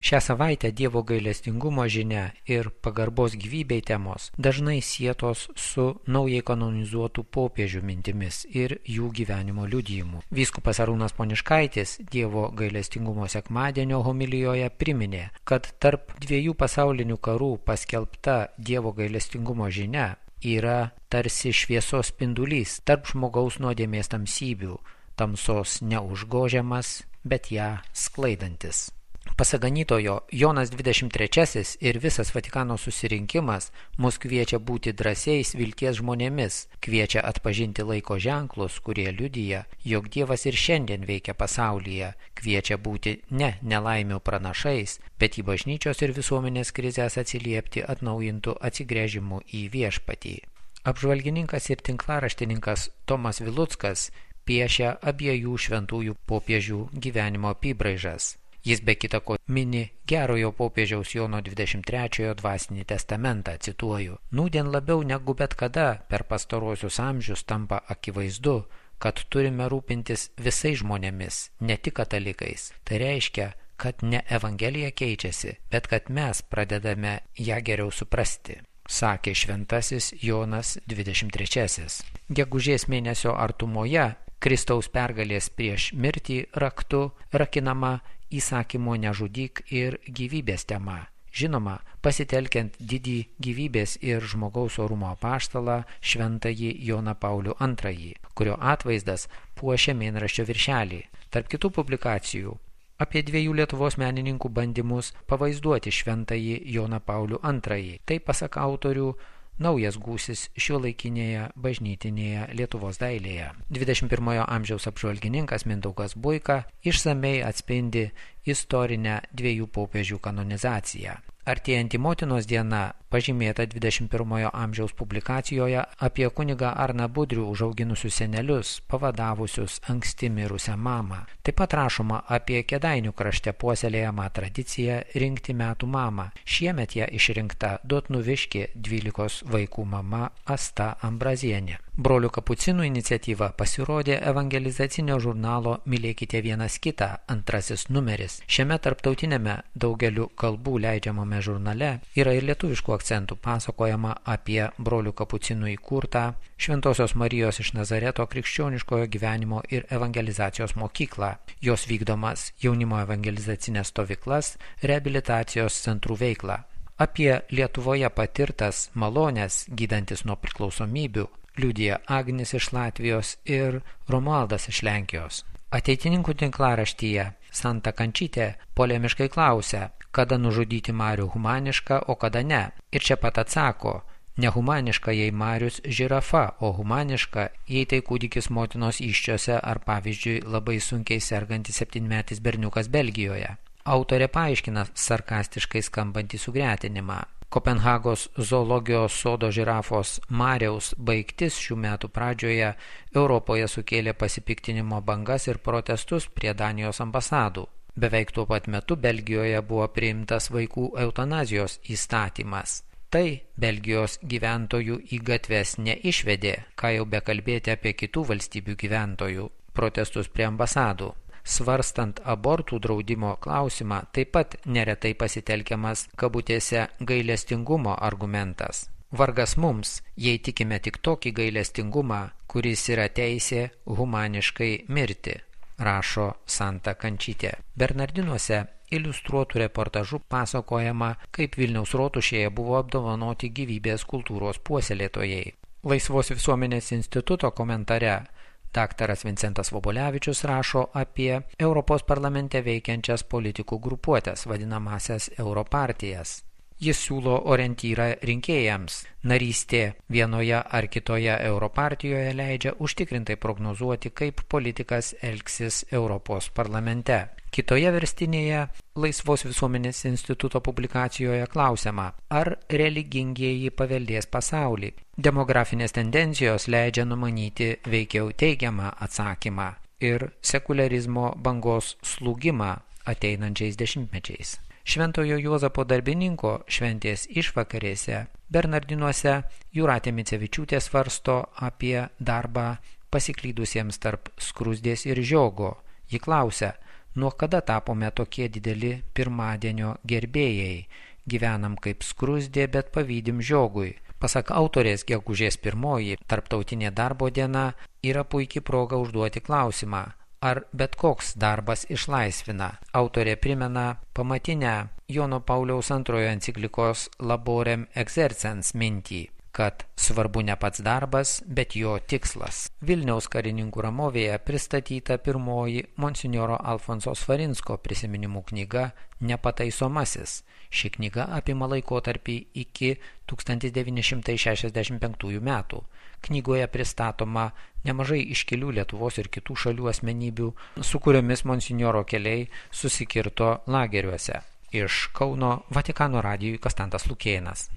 Šią savaitę Dievo gailestingumo žinia ir pagarbos gyvybei temos dažnai sietos su naujai kanonizuotų popiežių mintimis ir jų gyvenimo liudijimu. Vyskupas Arūnas Poniškaitis Dievo gailestingumo sekmadienio homilijoje priminė, kad tarp dviejų pasaulinių karų paskelbta Dievo gailestingumo žinia yra tarsi šviesos spindulys tarp žmogaus nuodėmės tamsybių, tamsos neužgožiamas, bet ją sklaidantis. Pasak ganytojo, Jonas 23 ir visas Vatikano susirinkimas mus kviečia būti drąsiais vilties žmonėmis, kviečia atpažinti laiko ženklus, kurie liudija, jog Dievas ir šiandien veikia pasaulyje, kviečia būti ne nelaimių pranašais, bet į bažnyčios ir visuomenės krizės atsiliepti atnaujintų atsigręžimų į viešpatį. Apžvalgininkas ir tinklaraštininkas Tomas Viluckas piešia abiejų šventųjų popiežių gyvenimo apybraižas. Jis be kita ko mini gerojo popiežiaus Jono 23 dvasinį testamentą, cituoju, nūdien labiau negu bet kada per pastaruosius amžius tampa akivaizdu, kad turime rūpintis visais žmonėmis, ne tik katalikais. Tai reiškia, kad ne Evangelija keičiasi, bet kad mes pradedame ją geriau suprasti, sakė šventasis Jonas 23. Gegužės mėnesio artumoje Kristaus pergalės prieš mirtį raktu rakinama įsakymo nežudyk ir gyvybės tema. Žinoma, pasitelkiant didį gyvybės ir žmogaus orumo apaštalą šventąjį Joną Paulių II, kurio atvaizdas puošia mėnraščio viršelį. Tarp kitų publikacijų apie dviejų Lietuvos menininkų bandymus pavaizduoti šventąjį Joną Paulių II. Tai pasak autorių naujas gūsis šiuolaikinėje bažnytinėje Lietuvos dailėje. 21 amžiaus apžvalgininkas Mindaugas Buika išsamei atspindi istorinę dviejų popiežių kanonizaciją. Artėjanti motinos diena pažymėta 21 amžiaus publikacijoje apie kunigą Arną Budrių užauginusius senelius, pavadavusius anksti mirusią mamą. Taip pat rašoma apie Kėdainių krašte puoselėjamą tradiciją rinkti metų mamą. Šiemet ją išrinkta Dotnuviškė 12 vaikų mama Asta Ambrazienė. Brolių kapucinų iniciatyva pasirodė evangelizacinio žurnalo Mylėkite vienas kitą, 2 numeris. Šiame tarptautinėme daugeliu kalbų leidžiamame žurnale yra ir lietuviškų akcentų pasakojama apie brolių kapucinų įkurtą Šventosios Marijos iš Nazareto krikščioniškojo gyvenimo ir evangelizacijos mokyklą, jos vykdomas jaunimo evangelizacinės stovyklas, reabilitacijos centrų veiklą. Apie Lietuvoje patirtas malones gydantis nuo priklausomybių liudija Agnis iš Latvijos ir Romualdas iš Lenkijos. Ateitininkų tinklaraštyje Santa Kančytė polemiškai klausia, kada nužudyti Marių humanišką, o kada ne. Ir čia pat atsako, nehumaniška jei Marius žirafa, o humaniška jei tai kūdikis motinos įsčiose ar pavyzdžiui labai sunkiai sergantis 7-metis berniukas Belgijoje. Autorė paaiškina sarkastiškai skambantį sugretinimą. Kopenhagos zoologijos sodo žirafos Mariaus baigtis šių metų pradžioje Europoje sukėlė pasipiktinimo bangas ir protestus prie Danijos ambasadų. Beveik tuo pat metu Belgijoje buvo priimtas vaikų eutanazijos įstatymas. Tai Belgijos gyventojų į gatves neišvedė, ką jau bekalbėti apie kitų valstybių gyventojų protestus prie ambasadų. Svarstant abortų draudimo klausimą, taip pat neretai pasitelkiamas kabutėse gailestingumo argumentas. Vargas mums, jei tikime tik tokį gailestingumą, kuris yra teisė humaniškai mirti, rašo Santa Kančytė. Bernardinuose iliustruotų reportažų pasakojama, kaip Vilniaus rotušėje buvo apdovanoti gyvybės kultūros puoselėtojai. Laisvos visuomenės instituto komentare Daktaras Vincentas Vobolevičius rašo apie Europos parlamente veikiančias politikų grupuotės, vadinamasias Europartijas. Jis siūlo orientyrą rinkėjams. Narystė vienoje ar kitoje Europartijoje leidžia užtikrintai prognozuoti, kaip politikas elgsis Europos parlamente. Kitoje verstinėje Laisvos visuomenės instituto publikacijoje klausiama, ar religingieji paveldės pasaulį. Demografinės tendencijos leidžia numanyti veikiau teigiamą atsakymą ir sekularizmo bangos slūgimą ateinančiais dešimtmečiais. Šventojo Juozapo darbininko šventės išvakarėse Bernardinuose Jūratė Micevičiūtė svarsto apie darbą pasiklydusiems tarp skrusdės ir žiogo. Ji klausia, Nuo kada tapome tokie dideli pirmadienio gerbėjai? Gyvenam kaip skrusdė, bet pavydim žiogui. Pasak autorės, gegužės 1, tarptautinė darbo diena, yra puikiai proga užduoti klausimą, ar bet koks darbas išlaisvina. Autorė primena pamatinę Jono Pauliaus II enciklikos Laborem Exercens mintį, kad svarbu ne pats darbas, bet jo tikslas. Vilniaus karininkų ramovėje pristatyta pirmoji monsinjoro Alfonso Svarinsko prisiminimų knyga Nepataisomasis. Ši knyga apima laikotarpį iki 1965 metų. Knygoje pristatoma nemažai iškilių Lietuvos ir kitų šalių asmenybių, su kuriomis monsinjoro keliai susikirto lageriuose. Iš Kauno Vatikano radijui Konstantas Lukėnas.